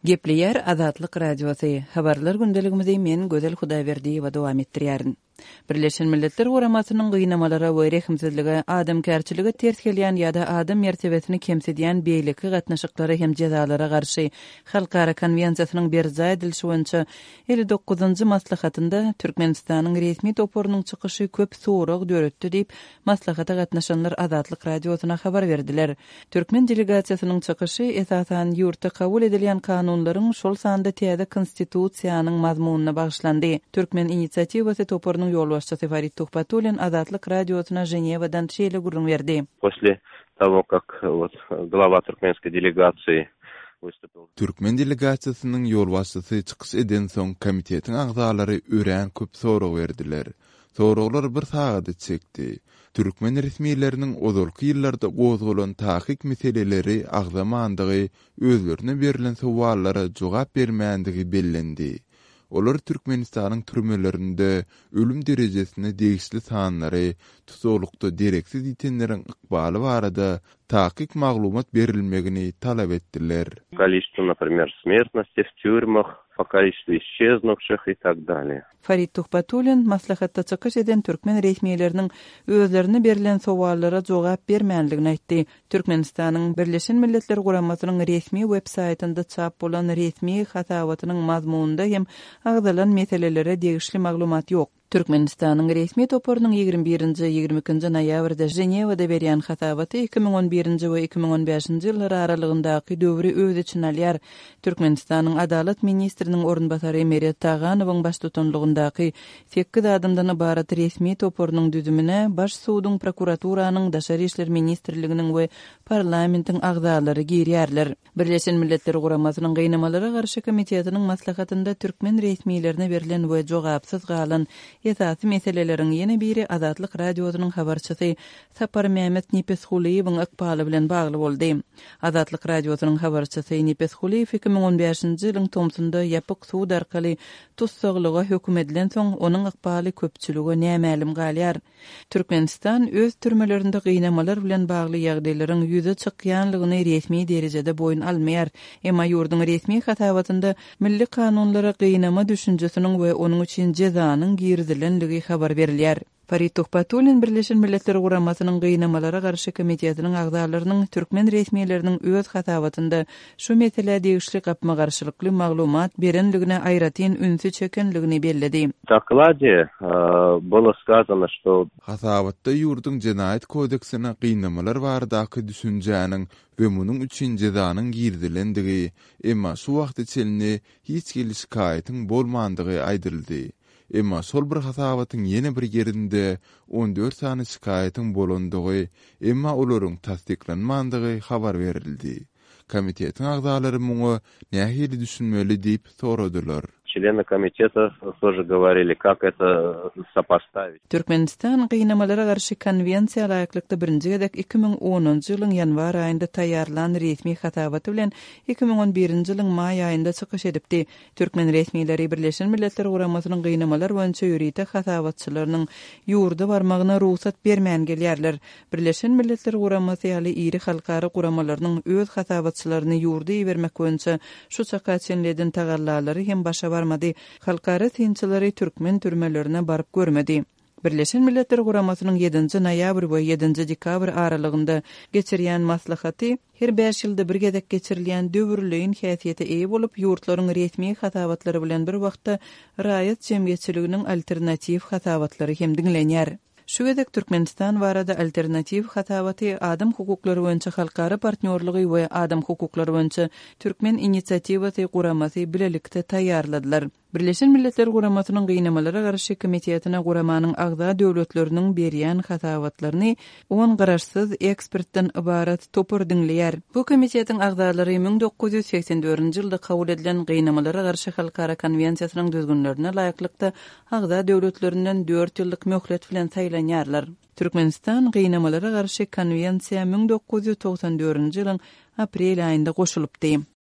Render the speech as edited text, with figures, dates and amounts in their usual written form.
Gepleýär Azatlyk Radiosy, Habarlar gündeligimizi men Gözel Hudaýberdiýewa dowam etdirýärin. Birleşen Milletler Guramasynyň gynamalara we rehimsizlige, adamkärçilige ters gelýän ýa-da adam mertebesini kemsidýän beýleki gatnaşyklara hem jezalara garşy Halkara Konwensiýasynyň berjaý edilişi boýunça 59-njy maslahatynda Türkmenistanyň resmi toparynyň çykyşy köp sorag döretdi diýip, maslahata gatnaşanlar Azatlyk Radiosyna habar berdiler. Türkmen delegasiýasynyň çykyşy, esasan, ýurtda kabul edilýän kanunlaryň, şol sanda täze Konstitusiýanyň mazmunyna bagyşlandy. Türkmen inisiatiwasy toparynyň ýolbaşçysy Farid Tuhbatullin Azatlyk Radiosyna Ženewadan şeýle gürrüň berdi. Posle togo kak wot glava turkmenskoý delegasiýi wystupil. Türkmen delegasiýasynyň ýolbaşçysy çykyş edensoň komitetiň agzalary örän köp sorag berdiler. Soraglar bir sagada çekdi. Türkmen resmileriniň ozalky ýyllarda gozgalan takyk meseleleri agzamandygy, özlerine berlen sowallara jogap bermändigi bellendi. Olar Türkmenistanyň türmelerinde ölüm derejesine degişli sanlary, tussaglykda dereksiz ýitenleriň ykbaly barada takyk maglumat berilmegini talap etdiler. Koliçestwo, naprimer, smertnosti w týurmah, po koliçestwu isçeznuvşih i tak dalее. Farid Tuhbatullin maslahatda çykyş eden türkmen resmileriniň özlerine berlen sowallara jogap bermändigini aýtdy. Türkmenistanyň Birleşen Milletler Guramasynyň resmi web saýtynda çap bolan resmi hasabatynyň mazmunynda hem agzalan meselelere degişli maglumat ýok. Türkmenistanyň resmi toparynyň 21-nji, 22-nji noýabrda Ženewada berýän hasabaty 2011-nji we 2015-nji ýyllar aralygyndaky döwri öz içine alýar. Türkmenistanyň Adalat ministriniň orunbasary Meret Taganowyň baştutanlygyndaky sekiz adamdan ybarat resmi toparynyň düzümine Baş suduň, prokuraturanyň, Daşary işler ministrliginiň we parlamentiň agzalary girýärler. Birleşen Milletler Guramasynyň Gynamalara garşy komitetiniň maslahatynda türkmen resmilerine berlen we jogapsyz galan esasy meseleleriň ýene biri Azatlyk Radiosynyň habarçysy Saparmämmet Nepesgulyýewiň ykbaly bilen bagly boldy. Azatlyk Radiosynyň habarçysy Nepesgulyýew 2015-nji ýylyň tomsunda ýapyk sud arkaly tussaglyga höküm edilensoň, onuň ykbaly köpçülige nämälim galýar. Türkmenistan öz türmelerinde gynamalar bilen bagly ýagdaýlaryň ýüze çykýanlygyny resmi derejede boýun almaýar. Emma ýurduň resmi hasabatynda milli kanunlara gynama düşünjesiniň we onuň üçin jezanyň girizilenligi habar berilýär. Farid Tuhbatullin Birleşen Milletler Guramasynyň Gynamalara garşy komitetiniň agzalarynyň türkmen resmileriniň öz hasabatynda şu meselä degişli gapma-garşylykly maglumat berenligine aýratyn ünsi çekenligini belledi. Doklade bylo skazano, şto. Hasabatda ýurduň Jenaýat kodeksine gynamalar baradaky düşünjäniň we munuň üçin jezanyň girizilendigi, emma şu wagta çenli hiç hili şikaýatyň bolmandygy aýdyldy. Emma şol bir hasabatyň ýene bir ýerinde 14 sany şikaýatyň bolandygy, emma olaryň tassyklanmandygy habar berildi. Komitetiň agzalary muňa nähili düşünmeli diýip soradylar. Çleny komiteta тоже govorili, kak eto sopostavit. Türkmenistan Gynamalara garşy konwensiýa laýyklykda birinji gezek 2010-njy ýylyň ýanwar aýynda taýýarlan resmi hasabaty bilen 2011-nji ýylyň maý aýynda çykyş edipdi. Türkmen resmileri Birleşen Milletler Guramasynyň gynamalar boýunça ýörite hasabatçylarynyň ýurda barmagyna rugsat bermän gelýärler. Birleşen Milletler Guramasy ýaly iri halkara guramalarynyň öz hasabatçylaryny ýurda ibermek boýunça şu çaka çenli eden tagallalary hem başa barmady. Halkara synçylary türkmen türmelerine baryp görmedi. Birleşen Milletler Guramasynyň ýedinji noýabr we ýedinji dekabr aralygynda geçirýän maslahaty her bäş ýylda bir gezek geçirilýän döwürleýin häsiýete eýe bolup, ýurtlaryň resmi hasabatlary bilen bir wagtda raýat jemgyýetçiliginiň alternatiw hasabatlary hem diňlenýär. Şu gezek Türkmenistan barada alternatiw hasabaty Adam hukuklary boýunça halkara partnýorlygy we Adam hukuklary boýunça Türkmen inisiatiwasy guramasy bilelikde taýýarladylar. Birleşen Milletler Guramasynyň Gynamalara garşy komitetine guramanyň agza döwletleriniň berýän hasabatlaryny on garaşsyz ekspertden ybarat topar diňleýär. Bu komitetiň agzalary 1984-nji ýylda kabul edilen Gynamalara garşy halkara konwensiýasynyň düzgünlerine laýyklykda agza döwletlerinden dört ýyllyk möhlet bilen saýlanýarlar. Türkmenistan Gynamalara garşy konwensiýa 1994-nji ýylyň aprel aýynda goşulypdy.